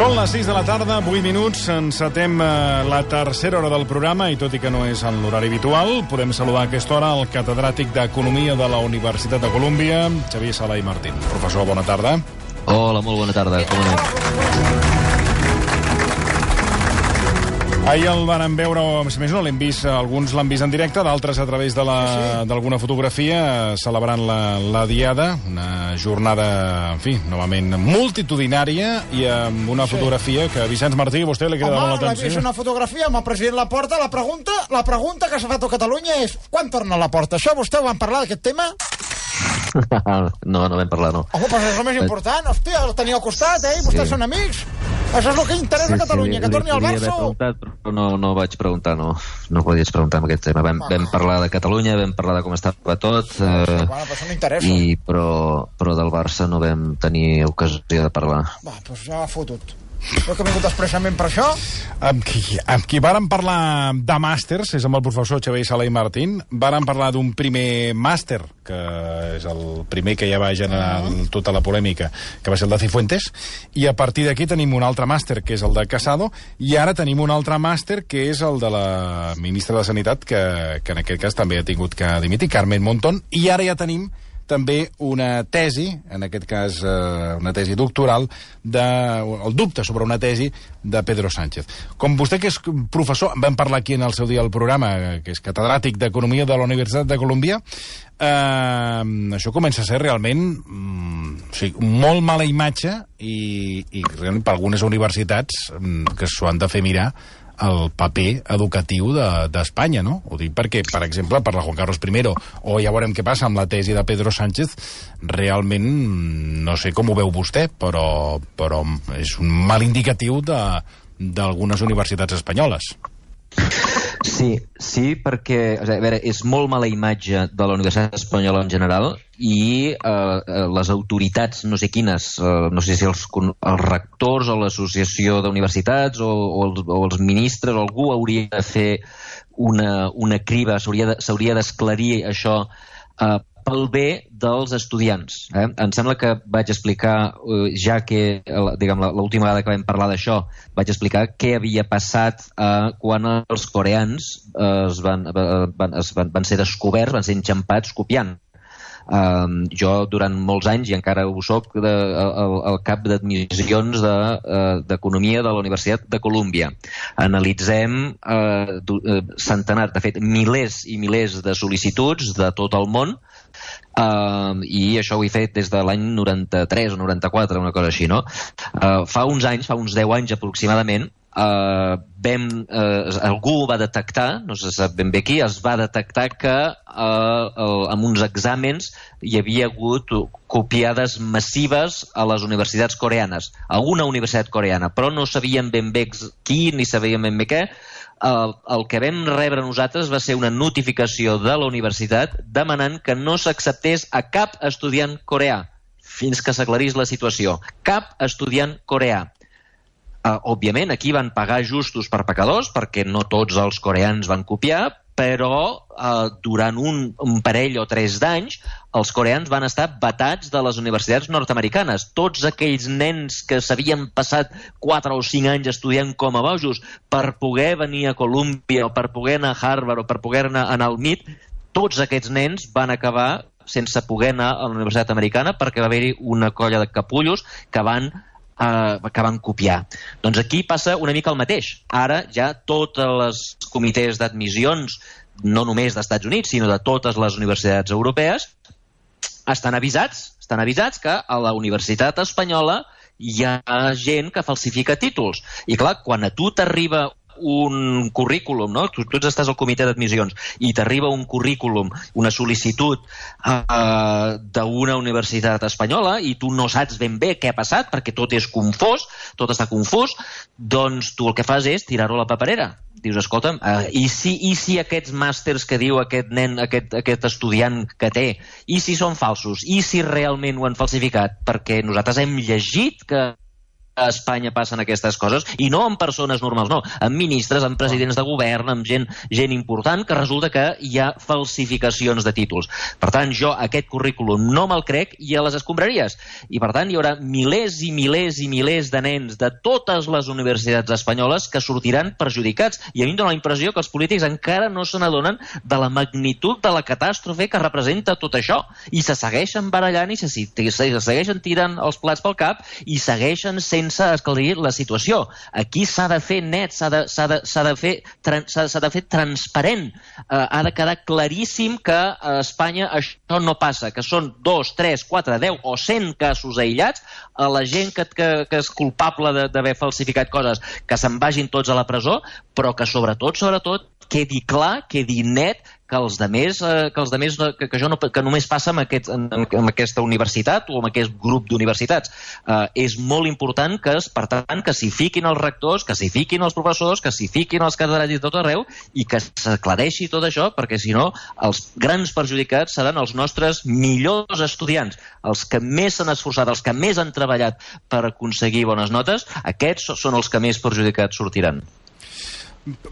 Són les 6 de la tarda, 8 minuts, encetem la tercera hora del programa i tot i que no és en l'horari habitual, podem saludar a aquesta hora el catedràtic d'Economia de la Universitat de Colúmbia, Xavier Sala i Martín. Professor, bona tarda. Hola, molt bona tarda. Com anem? Ahir el van veure, si més no, l'hem vist, alguns l'han vist en directe, d'altres a través d'alguna fotografia, celebrant la Diada, una jornada, en fi, novament multitudinària, i amb una fotografia que, Vicenç Martí, a vostè li queda molt l'atenció. Home, és una fotografia amb el president Laporta. La pregunta que s'ha fet a Catalunya és quan torna Laporta? Això vostè ho van parlar, d'aquest tema? No vam parlar, no. Home, però és el més important. Hòstia, el tenia al costat, Vostès són amics. Això és el que interessa a Catalunya, que torni al Barça. Però no vaig preguntar, no podies preguntar en aquest tema. Vam parlar de Catalunya, vam parlar de com estava tot, però del Barça no vam tenir ocasió de parlar. Va, doncs ja ha fotut. Jo que he vingut expressament per això. Amb qui vàrem parlar de màsters, és amb el professor Xavier Sala i Martín, vàrem parlar d'un primer màster, que és el primer que ja va generar tota la polèmica, que va ser el de Cifuentes, i a partir d'aquí tenim un altre màster, que és el de Casado, i ara tenim un altre màster, que és el de la ministra de Sanitat, que en aquest cas també ha tingut que dimitir, Carmen Montón, i ara ja tenim també una tesi, en aquest cas una tesi doctoral, el dubte sobre una tesi de Pedro Sánchez. Com vostè, que és professor, vam parlar aquí en el seu dia al programa, que és catedràtic d'Economia de la Universitat de Colúmbia, això comença a ser realment molt mala imatge i realment per algunes universitats que s'ho han de fer mirar el paper educatiu d'Espanya, no? Ho dic perquè, per exemple, per la Juan Carlos I, o ja veurem què passa amb la tesi de Pedro Sánchez, realment, no sé com ho veu vostè, però és un mal indicatiu d'algunes universitats espanyoles. Sí, perquè a veure, és molt mala imatge de la Universitat Espanyola en general i les autoritats, no sé quines, no sé si els rectors o l'associació d'universitats o els ministres o algú hauria de fer una criba, s'hauria d'esclarir això pel bé dels estudiants. Em sembla que vaig explicar, ja que l'última vegada que vam parlar d'això, vaig explicar què havia passat quan els coreans van ser descoberts, van ser enxampats copiant. Jo durant molts anys, i encara ho soc, el cap d'admissions d'Economia de la Universitat de Colúmbia. Analitzem centenars, de fet milers i milers de sol·licituds de tot el món, i això ho he fet des de l'any 93 o 94, una cosa així, no? Fa uns 10 anys aproximadament, algú va detectar, no se sap ben bé qui, es va detectar que amb uns exàmens hi havia hagut copiades massives a les universitats coreanes, a una universitat coreana, però no sabíem ben bé qui ni sabíem ben bé què. El que vam rebre nosaltres va ser una notificació de la universitat demanant que no s'acceptés a cap estudiant coreà fins que s'aclarís la situació. Cap estudiant coreà. Òbviament, aquí van pagar justos per pecadors, perquè no tots els coreans van copiar, però durant un parell o 3 d'anys els coreans van estar vetats de les universitats nord-americanes. Tots aquells nens que s'havien passat 4 o 5 anys estudiant com a bojos per poder venir a Colúmbia o per poder anar a Harvard o per poder anar al MIT, tots aquests nens van acabar sense poder anar a la universitat americana perquè va haver-hi una colla de capullos que van copiar. Doncs aquí passa una mica el mateix. Ara ja tots els comitès d'admissions, no només dels Estats Units, sinó de totes les universitats europees, estan avisats que a la Universitat Espanyola hi ha gent que falsifica títols. I clar, quan a tu t'arriba un currículum, no? Tu estàs al comitè d'admissions i t'arriba un currículum, una sol·licitud d'una universitat espanyola i tu no saps ben bé què ha passat perquè tot està confús, doncs tu el que fas és tirar-ho a la paperera. Dius, escolta'm, i si aquests màsters que diu aquest nen, aquest estudiant que té, i si són falsos, i si realment ho han falsificat? Perquè nosaltres hem llegit que a Espanya passen aquestes coses, i no amb persones normals, no, amb ministres, amb presidents de govern, amb gent important, que resulta que hi ha falsificacions de títols. Per tant, jo aquest currículum no me'l crec i a les escombraries. I per tant, hi haurà milers i milers i milers de nens de totes les universitats espanyoles que sortiran perjudicats. I a mi em dóna la impressió que els polítics encara no se n'adonen de la magnitud de la catàstrofe que representa tot això. I se segueixen barallant i se segueixen tirant els plats pel cap i segueixen sense esclarir la situació. Aquí s'ha de fer net, s'ha de fer transparent. Ha de quedar claríssim que a Espanya això no passa, que són 2, 3, 4, 10 o 100 casos aïllats, a la gent que és culpable d'haver falsificat coses, que se'n vagin tots a la presó, però que sobretot quedi clar, quedi net que que només passa amb aquesta universitat o amb aquest grup d'universitats. És molt important per tant, que s'hi fiquin els rectors, que s'hi fiquin els professors, que s'hi fiquin els catedràtics de tot arreu i que s'aclareixi tot això, perquè si no, els grans perjudicats seran els nostres millors estudiants, els que més s'han esforçat, els que més han treballat per aconseguir bones notes. Aquests són els que més perjudicats sortiran.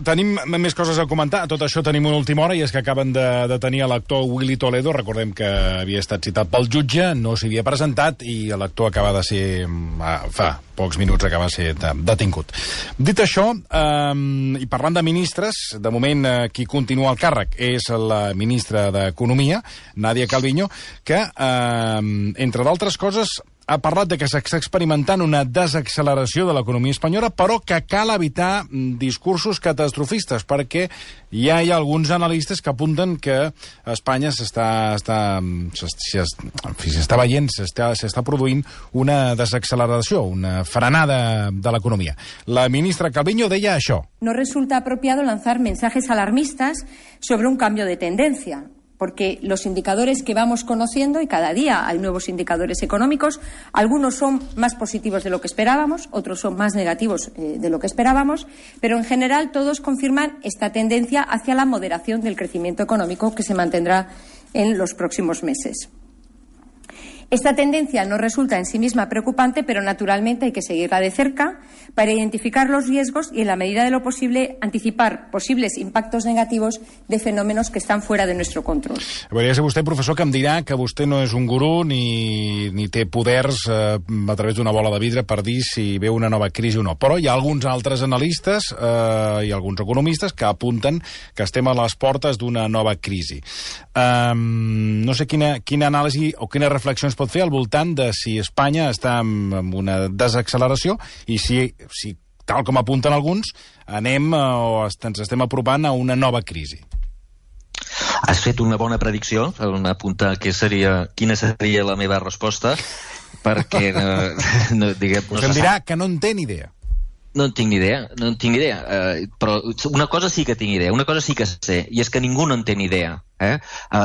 Tenim més coses a comentar. A tot això tenim una última hora, i és que acaben de detenir l'actor Willy Toledo. Recordem que havia estat citat pel jutge, no s'hi havia presentat, i l'actor acaba de ser, fa pocs minuts, acaba de ser detingut. Dit això, i parlant de ministres, de moment qui continua al càrrec és la ministra d'Economia, Nadia Calviño, que, entre d'altres coses, ha parlat de que s'està experimentant una desacceleració de l'economia espanyola, però que cal evitar discursos catastrofistes, perquè ja hi ha alguns analistes que apunten que Espanya s'està produint una desacceleració, una frenada de l'economia. La ministra Calviño deia això. No resulta apropiado lanzar mensajes alarmistas sobre un cambio de tendencia, porque los indicadores que vamos conociendo, y cada día hay nuevos indicadores económicos, algunos son más positivos de lo que esperábamos, otros son más negativos de lo que esperábamos, pero en general todos confirman esta tendencia hacia la moderación del crecimiento económico que se mantendrá en los próximos meses. Esta tendencia no resulta en sí misma preocupante, pero naturalmente hay que seguirla de cerca para identificar los riesgos y, en la medida de lo posible, anticipar posibles impactos negativos de fenómenos que están fuera de nuestro control. Podria ser vostè, professor, que em dirà que vostè no és un gurú ni té poders a través d'una bola de vidre per dir si ve una nova crisi o no. Però hi ha alguns altres analistes i alguns economistes que apunten que estem a les portes d'una nova crisi. No sé quina anàlisi o quines reflexions pot fer al voltant de si Espanya està en una desacceleració i si, tal com apunten alguns, ens estem apropant a una nova crisi. Has fet una bona predicció, apuntar quina seria la meva resposta, perquè Vostè em dirà que no en té ni idea. No en tinc ni idea, però una cosa sí que tinc idea, una cosa sí que sé, i és que ningú no en té ni idea.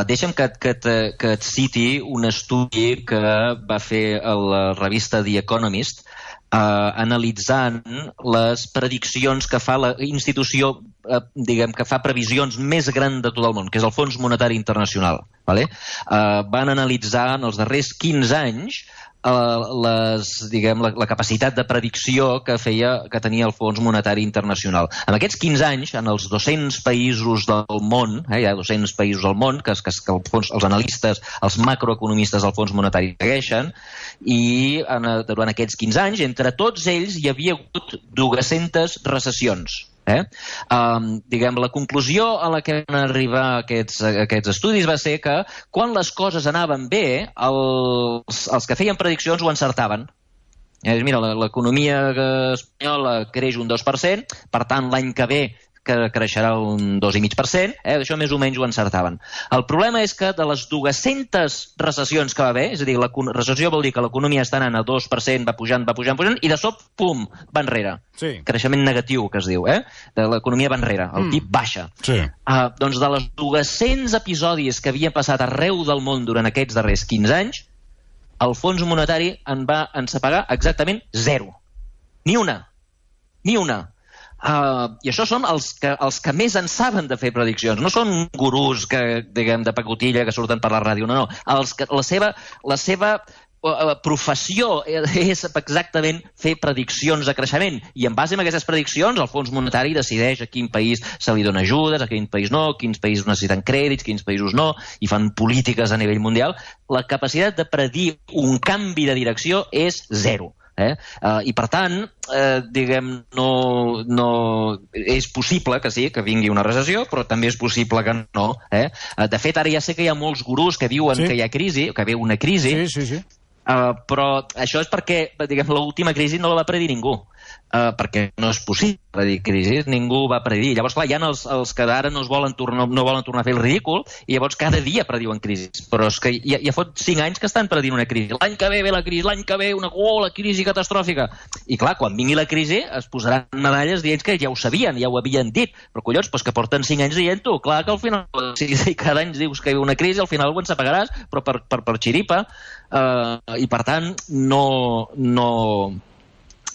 Deixa'm que et citi un estudi que va fer la revista The Economist, analitzant les prediccions que fa la institució que fa previsions més gran de tot el món, que és el Fons Monetari Internacional. Van analitzar en els darrers 15 anys la capacitat de predicció que tenia el Fons Monetari Internacional. En aquests 15 anys, en els 200 països del món, hi ha 200 països al món que els analistes, els macroeconomistes del Fons Monetari segueixen, i durant aquests 15 anys, entre tots ells hi havia hagut 200 recessions. La conclusió a la que van arribar aquests estudis va ser que quan les coses anaven bé, els que feien prediccions ho encertaven. Mira, l'economia espanyola creix un 2%, per tant l'any que ve que creixerà un 2,5%, això més o menys ho encertaven. El problema és que de les 200 recessions que va haver, és a dir, la recessió vol dir que l'economia està anant a 2%, va pujant, i de sobte, pum, va enrere. Sí. Creixement negatiu, que es diu, de l'economia va enrere, el PIB baixa. Sí. Doncs de les 200 episodis que havien passat arreu del món durant aquests darrers 15 anys, el Fons Monetari en va encepegar exactament 0. Ni una. I això són els que més en saben de fer prediccions. No són gurús de pacotilla que surten per la ràdio, no. La seva professió és exactament fer prediccions de creixement, i en base a aquestes prediccions el Fons Monetari decideix a quin país se li dona ajudes, a quin país no, quins països necessiten crèdits, quins països no, i fan polítiques a nivell mundial. La capacitat de predir un canvi de direcció és zero. I per tant, diguem, no és possible que sí, que vingui una recessió, però també és possible que no. De fet, ara ja sé que hi ha molts gurús que diuen que hi ha crisi, que ve una crisi, però això és perquè, diguem, l'última crisi no la va predir ningú. Perquè no és possible predir crisi, ningú va predir. Llavors, clar, hi ha els que ara no volen tornar a fer el ridícul i llavors cada dia prediuen crisis. Però és que ja fot 5 anys que estan predient una crisi. L'any que ve la crisi, l'any que ve la crisi catastròfica. I clar, quan vingui la crisi es posaran medalles dient que ja ho sabien, ja ho havien dit. Però collons, que porten 5 anys dient-ho. Clar que al final, si cada any dius que hi ha una crisi, al final ho ensapegaràs, però per xiripa. I per tant,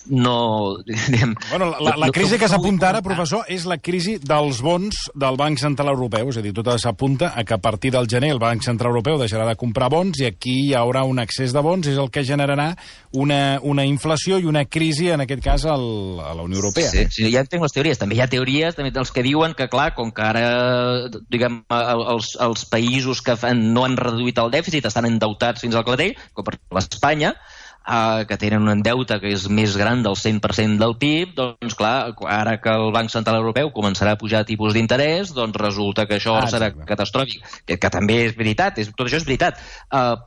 la crisi que s'apunta ara, professor, és la crisi dels bons del Banc Central Europeu. És a dir, tot s'apunta a que a partir del gener el Banc Central Europeu deixarà de comprar bons i aquí hi haurà un excés de bons, és el que generarà una inflació i una crisi, en aquest cas, a la Unió Europea. Sí, ja entenc les teories. També hi ha teories dels que diuen que, clar, com que ara, diguem, els països que no han reduït el dèficit estan endeutats fins al clatell, com per l'Espanya, que tenen un deute que és més gran del 100% del PIB, doncs clar, ara que el Banc Central Europeu començarà a pujar tipus d'interès, doncs resulta que això serà catastròfic. Que també és veritat, tot això és veritat.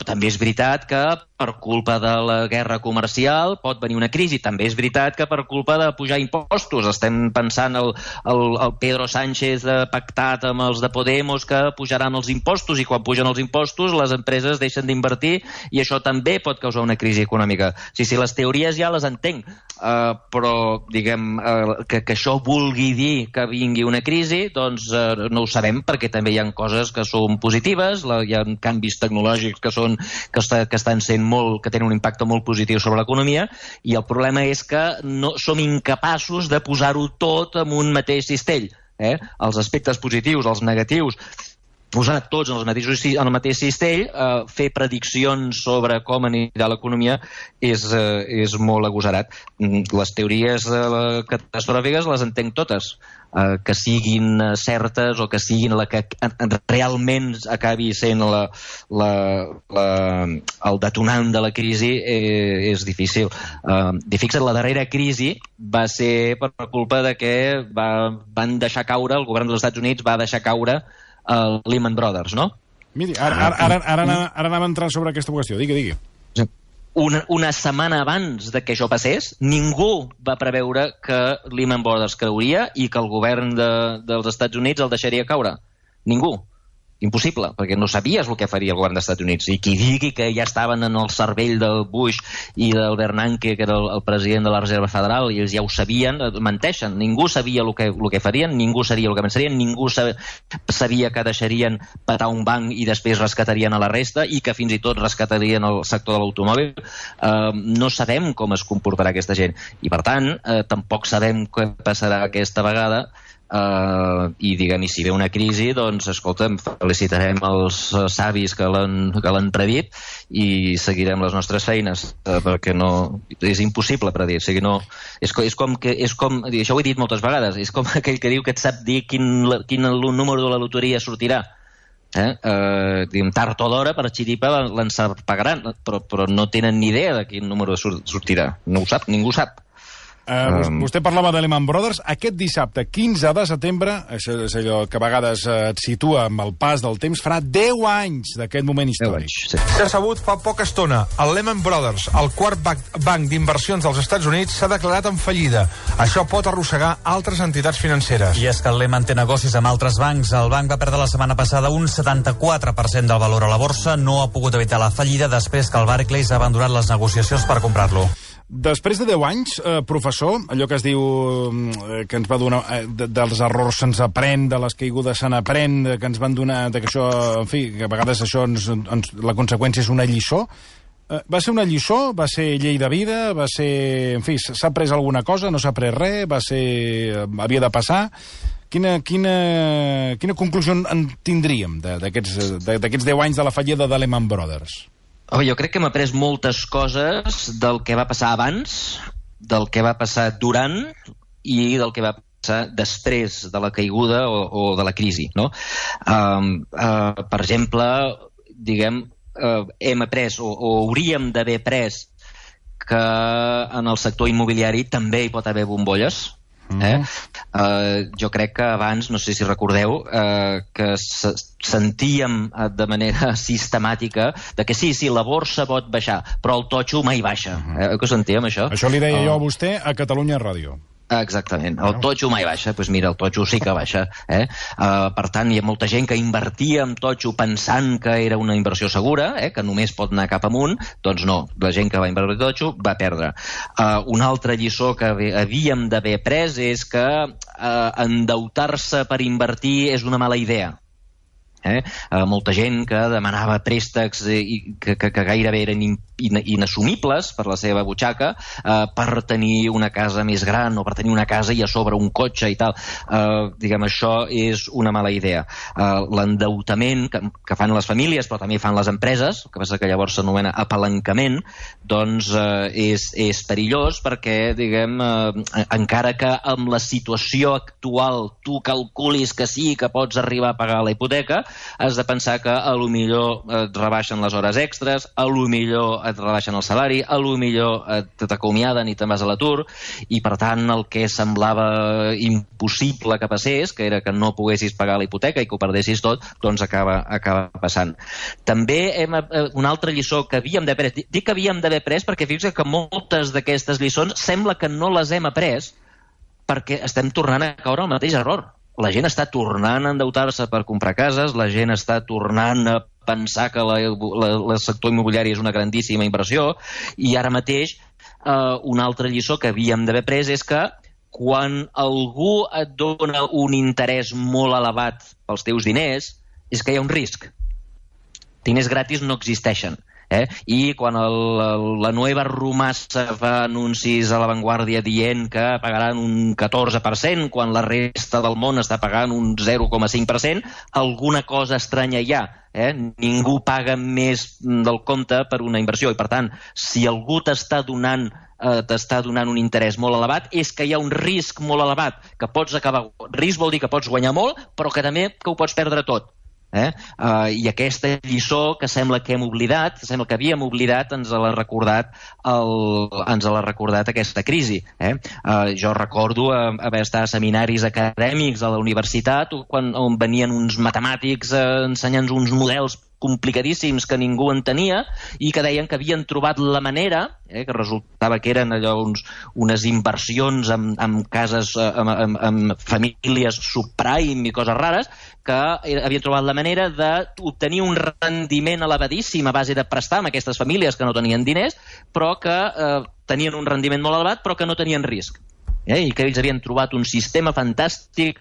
També és veritat que per culpa de la guerra comercial pot venir una crisi. També és veritat que per culpa de pujar impostos, estem pensant el Pedro Sánchez pactat amb els de Podemos que pujaran els impostos, i quan pugen els impostos les empreses deixen d'invertir i això també pot causar una crisi econòmica. Sí, les teories ja les entenc, però diguem que això vulgui dir que vingui una crisi, doncs no ho sabem, perquè també hi ha coses que són positives, hi ha canvis tecnològics que estan sent que tenen un impacte molt positiu sobre l'economia, i el problema és que no som incapaços de posar-ho tot en un mateix cistell. Els aspectes positius, els negatius, posar tots en el mateix cistell, fer prediccions sobre com anirà l'economia és molt agosarat. Les teories catastròfiques les entenc totes. Que siguin certes o que siguin la que realment acabi sent el detonant de la crisi és difícil. Fixa't, la darrera crisi va ser per culpa de que van deixar caure, el govern dels Estats Units va deixar caure Lehman Brothers, no? Miri, ara anàvem a entrar sobre aquesta qüestió. Digui. Una setmana abans de que això passés, ningú va preveure que Lehman Brothers creuria i que el govern dels Estats Units el deixaria caure. Ningú. Impossible, perquè no sabies el que faria el govern dels Estats Units. I qui digui que ja estaven en el cervell del Bush i del Bernanke, que era el president de la Reserva Federal, i ells ja ho sabien, menteixen. Ningú sabia el que farien, ningú sabia el que pensarien, ningú sabia que deixarien petar un banc i després rescatarien a la resta, i que fins i tot rescatarien el sector de l'automòbil. No sabem com es comportarà aquesta gent. I per tant, tampoc sabem què passarà aquesta vegada. I diguem, i si ve una crisi, doncs escolta'm, felicitarem els savis que l'han predit i seguirem les nostres feines, perquè no és impossible predir. O sigui, no, és com això ho he dit moltes vegades, és com aquell que diu que et sap dir quin número de la loteria sortirà. Tard o d'hora, per xiripa l'ensarpagaran, però no tenen ni idea de quin número sortirà. No ho sap, ningú sap. Vostè parlava de Lehman Brothers. Aquest dissabte, 15 de setembre, això és allò que a vegades et situa amb el pas del temps, farà 10 anys d'aquest moment històric. S'ha sabut fa poca estona. El Lehman Brothers, el quart banc d'inversions dels Estats Units, s'ha declarat en fallida. Això pot arrossegar altres entitats financeres. I és que el Lehman té negocis amb altres bancs. El banc va perdre la setmana passada un 74% del valor a la borsa. No ha pogut evitar la fallida després que el Barclays ha abandonat les negociacions per comprar-lo. Després de 10 anys, professor, allò que es diu que ens va donar dels errors se'ns aprèn, de les caigudes se n'aprèn, que ens van donar, que això, en fi, que a vegades això la conseqüència és una lliçó. Va ser una lliçó? Va ser llei de vida? Va ser, en fi, s'ha après alguna cosa? No s'ha après res? Havia de passar? Quina conclusió en tindríem d'aquests 10 anys de la fallida de Lehman Brothers? Jo crec que hem après moltes coses del que va passar abans, del que va passar durant i del que va passar després de la caiguda o de la crisi, no? Per exemple, diguem, hem après o hauríem d'haver après que en el sector immobiliari també hi pot haver bombolles. Jo crec que abans, no sé si recordeu, que sentíem de manera sistemàtica de que sí, la borsa pot baixar, però el totxo mai baixa. Que ho sentíem, això? Això li deia jo a vostè a Catalunya Ràdio. Exactament, el totxo mai baixa, doncs mira, el totxo sí que baixa. Per tant, hi ha molta gent que invertia en totxo pensant que era una inversió segura, que només pot anar cap amunt. Doncs no, la gent que va invertir en totxo va perdre. Una altra lliçó que havíem d'haver après és que endeutar-se per invertir és una mala idea. Molta gent que demanava préstecs que gairebé eren inassumibles per la seva butxaca per tenir una casa més gran o per tenir una casa i a sobre un cotxe i tal. Diguem, això és una mala idea. L'endeutament que fan les famílies però també fan les empreses, el que passa que llavors s'anomena apalancament, doncs és perillós perquè, diguem, encara que amb la situació actual tu calculis que sí que pots arribar a pagar la hipoteca, has de pensar que a lo millor et rebaixen les hores extres, a lo millor et rebaixen el salari, a lo millor t'acomiaden i te'n vas a l'atur, i per tant el que semblava impossible que passés, que era que no poguessis pagar la hipoteca i que ho perdessis tot, doncs acaba passant. També una altra lliçó que havíem d'haver après, dic que havíem d'haver après perquè fixa't que moltes d'aquestes lliçons sembla que no les hem après perquè estem tornant a caure al mateix error. La gent està tornant a endeutar-se per comprar cases, la gent està tornant a pensar que el sector immobiliari és una grandíssima inversió, i ara mateix una altra lliçó que havíem d'haver après és que quan algú et dona un interès molt elevat pels teus diners, és que hi ha un risc. Diners gratis no existeixen. I quan la Nueva Rumasa fa anuncis a La Vanguardia dient que pagaran un 14% quan la resta del món està pagant un 0,5%, alguna cosa estranya hi ha. Ningú paga més del compte per una inversió i, per tant, si algú t'està donant un interès molt elevat, és que hi ha un risc molt elevat, que pots acabar... Risc vol dir que pots guanyar molt, però que també que ho pots perdre tot. I aquesta lliçó que sembla que hem oblidat, sembla que havíem oblidat, ens l'ha recordat aquesta crisi. Jo recordo haver estat a seminaris acadèmics a la universitat on venien uns matemàtics ensenyant uns models complicadíssims que ningú entenia i que deien que havien trobat la manera, que resultava que eren allò unes inversions en cases, amb famílies subprime i coses rares, que havien trobat la manera d'obtenir un rendiment elevadíssim a base de prestar amb aquestes famílies que no tenien diners, però que tenien un rendiment molt elevat però que no tenien risc. I que ells havien trobat un sistema fantàstic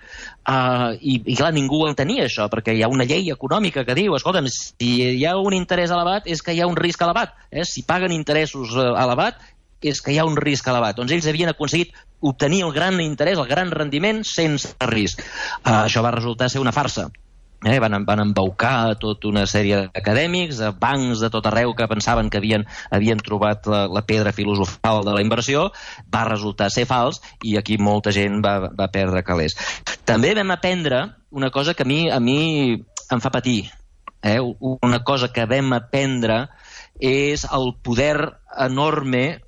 i clar, ningú entenia això, perquè hi ha una llei econòmica que diu, escolta'm, si hi ha un interès elevat és que hi ha un risc elevat, si paguen interessos elevat és que hi ha un risc elevat. Doncs ells havien aconseguit obtenir el gran interès, el gran rendiment sense risc. Això va resultar ser una farsa. Van embaucar tota una sèrie d'acadèmics, bancs de tot arreu que pensaven que havien trobat la pedra filosofal de la inversió. Va resultar ser fals i aquí molta gent va perdre calés. També vam aprendre una cosa que a mi em fa patir. Una cosa que vam aprendre és el poder enorme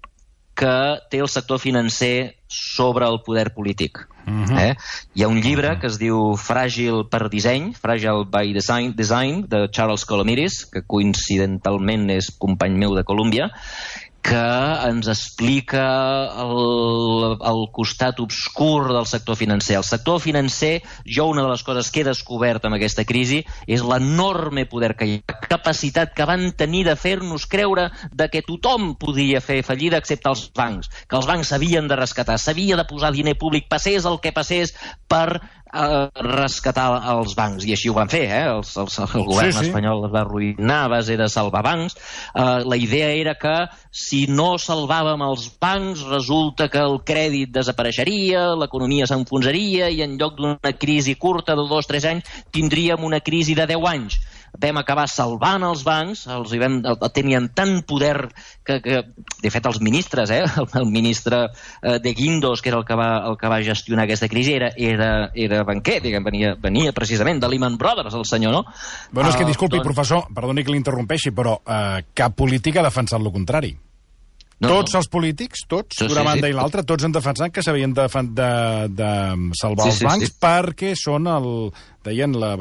que té el sector financer sobre el poder polític. Hi ha un llibre que es diu Fràgil per disseny, Fragile by Design, de Charles Colomiris, que coincidentalment és company meu de Colúmbia, que ens explica el costat obscur del sector financer. El sector financer, una de les coses que he descobert amb aquesta crisi és l'enorme poder que hi ha, la capacitat que van tenir de fer-nos creure que tothom podia fer fallida excepte els bancs, que els bancs s'havien de rescatar, s'havia de posar diner públic, passés el que passés, per rescatar els bancs, i així ho van fer. El govern espanyol es va arruïnar a base de salvar bancs. La idea era que si no salvàvem els bancs resulta que el crèdit desapareixeria, l'economia s'enfonsaria i en lloc d'una crisi curta de 2 o 3 anys tindríem una crisi de 10 anys. vam acabar salvant els bancs, tenien tant poder que de fet, els ministres, el ministre de Guindos, que era el que va gestionar aquesta crisi, era banquer, venia precisament de Lehman Brothers, el senyor, no? Bueno, és que, disculpi, professor, perdoni que l'interrompeixi, però cap polític ha defensat el contrari. Tots els polítics, d'una banda i l'altra, tots han defensat que s'havien de salvar els bancs perquè són deien la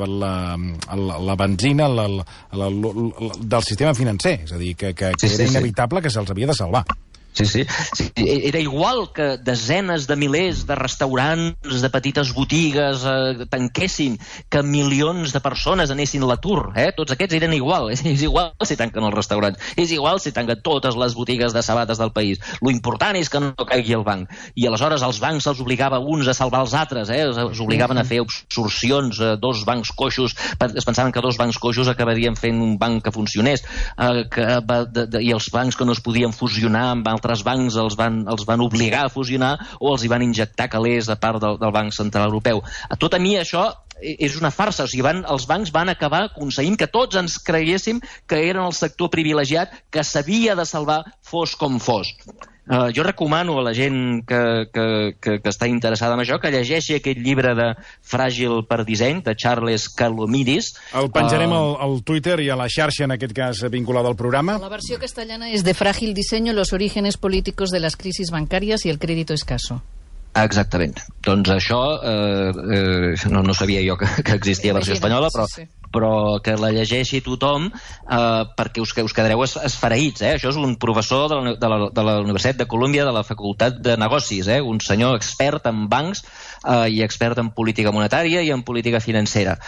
benzina del sistema financer, és a dir, que era inevitable que se'ls havia de salvar. Sí. Era igual que desenes de milers de restaurants, de petites botigues tanquessin, que milions de persones anessin a l'atur. Tots aquests eren igual. És igual si tanquen els restaurants. És igual si tanquen totes les botigues de sabates del país. Lo important és que no caigui el banc. I aleshores els bancs se'ls obligava uns a salvar els altres. Els obligaven a fer absorcions, dos bancs coixos. Es pensaven que dos bancs coixos acabarien fent un banc que funcionés. I els bancs que no es podien fusionar amb altres bancs els van obligar a fusionar o els hi van injectar calés a part del Banc Central Europeu. Tot a mi això és una farsa. O sigui, els bancs van acabar aconseguint que tots ens creguéssim que eren el sector privilegiat que s'havia de salvar fos com fos. Jo recomano a la gent que està interessada en això que llegeixi aquest llibre de Fràgil per disseny, de Charles Kalomidis. El penjarem al Twitter i a la xarxa, en aquest cas vinculada al programa. La versió castellana és de Frágil diseño, los orígenes políticos de las crisis bancarias y el crédito escaso. Exactament. Doncs això no sabia jo que existia versió espanyola, però que la llegeixi tothom perquè us quedareu esfereïts. Això és un professor de la Universitat de Colúmbia, de la Facultat de Negocis, un senyor expert en bancs i expert en política monetària i en política financera.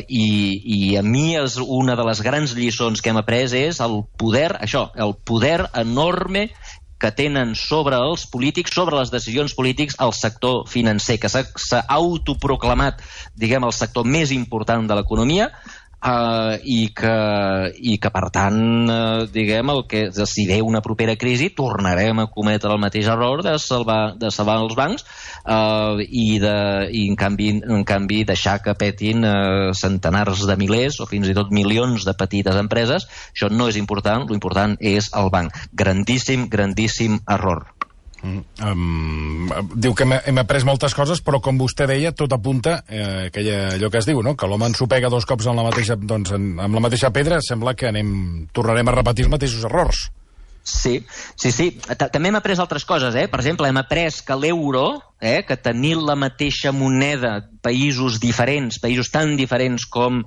I a mi és una de les grans lliçons que hem après és el poder enorme que tenen sobre els polítics, sobre les decisions polítics, el sector financer, que s'ha autoproclamat, diguem, el sector més important de l'economia, i que per tant, diguem, si ve una propera crisi tornarem a cometre el mateix error de salvar els bancs i en canvi deixar que petin centenars de milers o fins i tot milions de petites empreses. Això no és important, l'important és el banc. Grandíssim error. Diu que hem après moltes coses, però com vostè deia, tot apunta allò que es diu, no? Que l'home ensopega dos cops amb la mateixa pedra, sembla que tornarem a repetir els mateixos errors. Sí. També hem après altres coses, Per exemple, hem après que l'euro, que tenir la mateixa moneda, països tan diferents com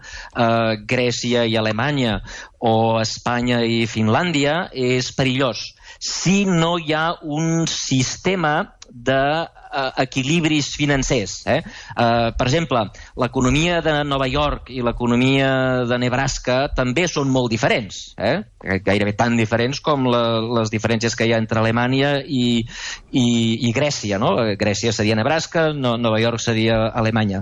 Grècia i Alemanya o Espanya i Finlàndia, és perillós. Si no hi ha un sistema d'equilibris financers. Per exemple, l'economia de Nova York i l'economia de Nebraska també són molt diferents, gairebé tan diferents com les diferències que hi ha entre Alemanya i Grècia, no? Grècia seria Nebraska, Nova York seria Alemanya.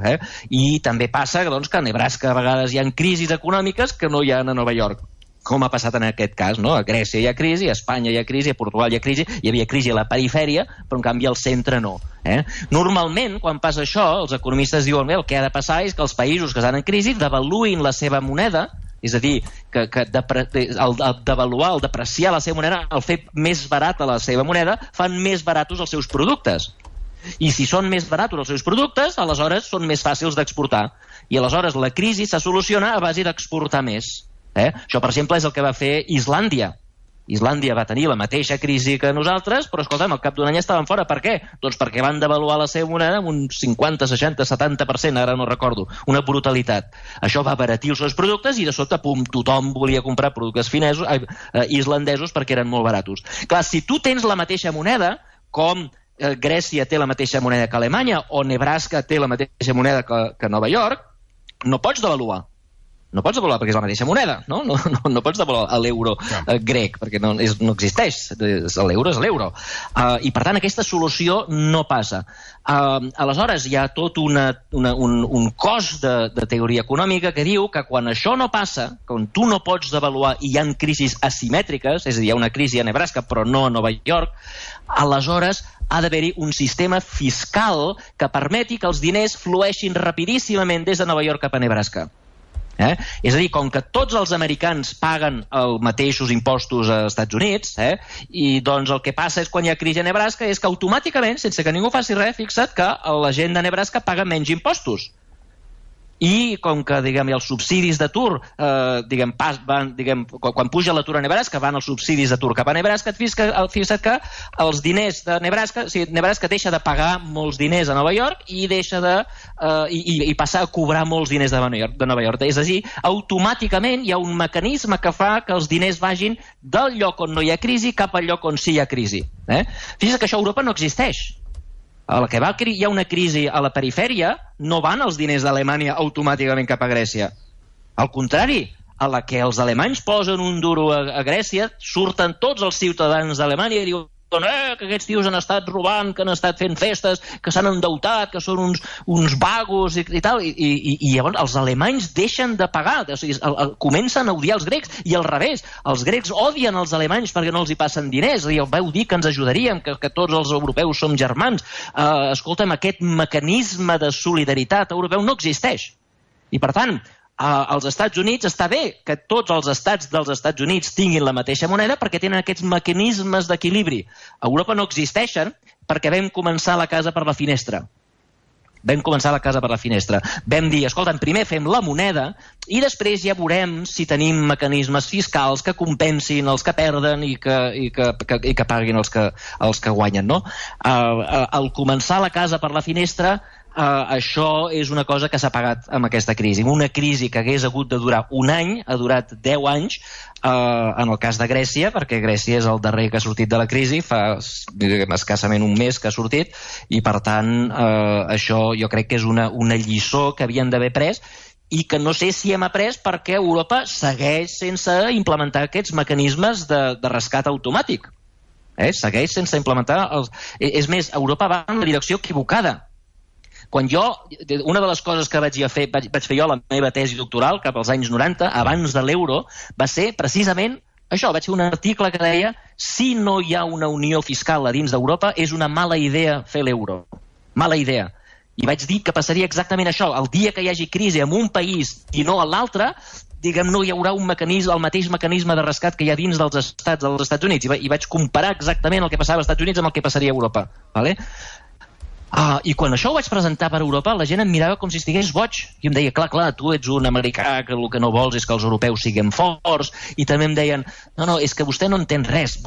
I també passa que a Nebraska a vegades hi ha crisis econòmiques que no hi ha a Nova York, com ha passat en aquest cas, no? A Grècia hi ha crisi, a Espanya hi ha crisi, a Portugal hi ha crisi, hi havia crisi a la perifèria, però en canvi al centre no. Normalment, quan passa això, els economistes diuen que el que ha de passar és que els països que estan en crisi devaluïn la seva moneda, és a dir, que el devaluar, el depreciar la seva moneda, el fer més barata la seva moneda, fan més baratos els seus productes. I si són més baratos els seus productes, aleshores són més fàcils d'exportar. I aleshores la crisi se soluciona a base d'exportar més. Això, per exemple, és el que va fer Islàndia. Islàndia va tenir la mateixa crisi que nosaltres, però, escolta'm, al cap d'un any estaven fora. Per què? Doncs perquè van devaluar la seva moneda amb un 50, 60, 70%, ara no recordo. Una brutalitat. Això va abaratir els seus productes i, de sobte, tothom volia comprar productes islandesos perquè eren molt baratos. Clar, si tu tens la mateixa moneda, com Grècia té la mateixa moneda que Alemanya o Nebraska té la mateixa moneda que Nova York, no pots devaluar. No pots devaluar perquè és la mateixa moneda, no? No pots devaluar l'euro grec, perquè no existeix. L'euro és l'euro. I, per tant, aquesta solució no passa. Aleshores, hi ha tot un cos de teoria econòmica que diu que quan això no passa, quan tu no pots devaluar i hi ha crisis asimètriques, és a dir, hi ha una crisi a Nebraska però no a Nova York, aleshores ha d'haver-hi un sistema fiscal que permeti que els diners flueixin rapidíssimament des de Nova York cap a Nebraska. És a dir, com que tots els americans paguen els mateixos impostos als Estats Units, i doncs el que passa és quan hi ha crisi a Nebraska és que automàticament, sense que ningú faci res, fixa't que la gent de Nebraska paga menys impostos. I com que, diguem, els subsidis d'atur, quan puja l'atur a Nebraska, van els subsidis d'atur cap a Nebraska, fixa't que els diners de Nebraska, o sigui, Nebraska deixa de pagar molts diners a Nova York i passa a cobrar molts diners de Nova York. És a dir, automàticament hi ha un mecanisme que fa que els diners vagin del lloc on no hi ha crisi cap al lloc on sí hi ha crisi. Fixa't que això a Europa no existeix. A la que hi ha una crisi a la perifèria, no van els diners d'Alemanya automàticament cap a Grècia. Al contrari, a la que els alemanys posen un duro a Grècia, surten tots els ciutadans d'Alemanya i diuen que aquests tios han estat robant, que han estat fent festes, que s'han endeutat, que són uns vagos i tal, i llavors els alemanys deixen de pagar, o sigui, comencen a odiar els grecs, i al revés, els grecs odien els alemanys perquè no els hi passen diners, i vau dir que ens ajudaríem, que tots els europeus som germans. Escolta'm, aquest mecanisme de solidaritat europeu no existeix. I per tant, als Estats Units està bé que tots els estats dels Estats Units tinguin la mateixa moneda perquè tenen aquests mecanismes d'equilibri. A Europa no existeixen perquè vam començar la casa per la finestra. Vam dir, escolta, primer fem la moneda i després ja veurem si tenim mecanismes fiscals que compensin els que perden i que paguin els que guanyen, no? Al començar la casa per la finestra, això és una cosa que s'ha pagat amb aquesta crisi. Una crisi que hagués hagut de durar un any, ha durat 10 anys, en el cas de Grècia, perquè Grècia és el darrer que ha sortit de la crisi, fa escassament un mes que ha sortit, i per tant això jo crec que és una lliçó que havien d'haver pres i que no sé si hem après perquè Europa segueix sense implementar aquests mecanismes de rescat automàtic. Segueix sense implementar És més, Europa va en la direcció equivocada. Una de les coses que vaig fer jo a la meva tesi doctoral cap als anys 90, abans de l'euro, va ser precisament això. Vaig fer un article que deia si no hi ha una unió fiscal a dins d'Europa és una mala idea fer l'euro. Mala idea. I vaig dir que passaria exactament això. El dia que hi hagi crisi en un país i no a l'altre, no hi haurà el mateix mecanisme de rescat que hi ha dins dels Estats Units. I vaig comparar exactament el que passava als Estats Units amb el que passaria a Europa. I quan això ho vaig presentar per Europa, la gent em mirava com si estigués boig. I em deia, clar, tu ets un americà que el que no vols és que els europeus siguem forts. I també em deien, no, és que vostè no entén res.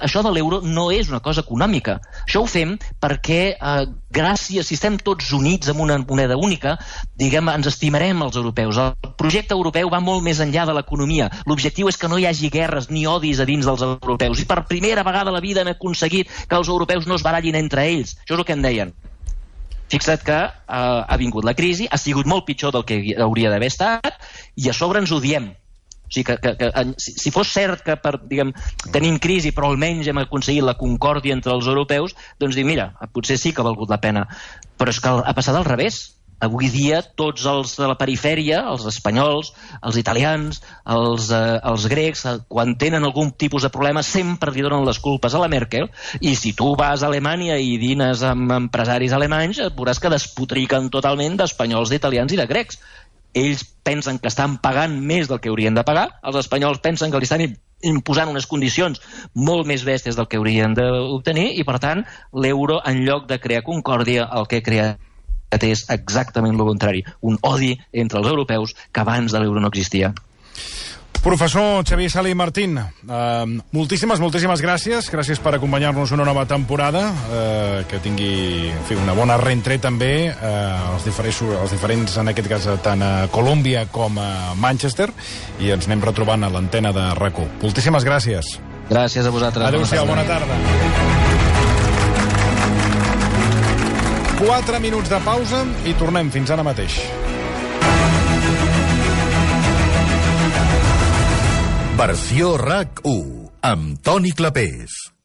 Això de l'euro no és una cosa econòmica. Això ho fem perquè, si estem tots units amb una moneda única, ens estimarem els europeus. El projecte europeu va molt més enllà de l'economia. L'objectiu és que no hi hagi guerres ni odis a dins dels europeus. I per primera vegada a la vida hem aconseguit que els europeus no es barallin entre ells. Això és el que em deien. Fixa't que ha vingut la crisi, ha sigut molt pitjor del que hauria d'haver estat i a sobre ens odiem. O sigui si fos cert que tenim crisi però almenys hem aconseguit la concòrdia entre els europeus, doncs mira, potser sí que ha valgut la pena. Però és que ha passat al revés. Avui dia tots els de la perifèria, els espanyols, els italians, els grecs, quan tenen algun tipus de problema sempre li donen les culpes a la Merkel, i si tu vas a Alemanya i dines amb empresaris alemanys veuràs que despotriquen totalment d'espanyols, d'italians i de grecs. Ells pensen que estan pagant més del que haurien de pagar, els espanyols pensen que li estan imposant unes condicions molt més bèsties del que haurien d'obtenir, i per tant l'euro, en lloc de crear concòrdia, el que crea és exactament el contrari, un odi entre els europeus que abans de l'euro no existia. Professor Xavier Sala i Martín, moltíssimes gràcies per acompanyar-nos una nova temporada, que tingui una bona reentrée també els diferents, en aquest cas tant a Colòmbia com a Manchester, i ens anem retrobant a l'antena de RAC1. Moltíssimes gràcies. Gràcies a vosaltres. Adéu-siau, bona tarda. 4 minuts de pausa i tornem fins ara mateix. Versió RAC1 amb Toni Clapés.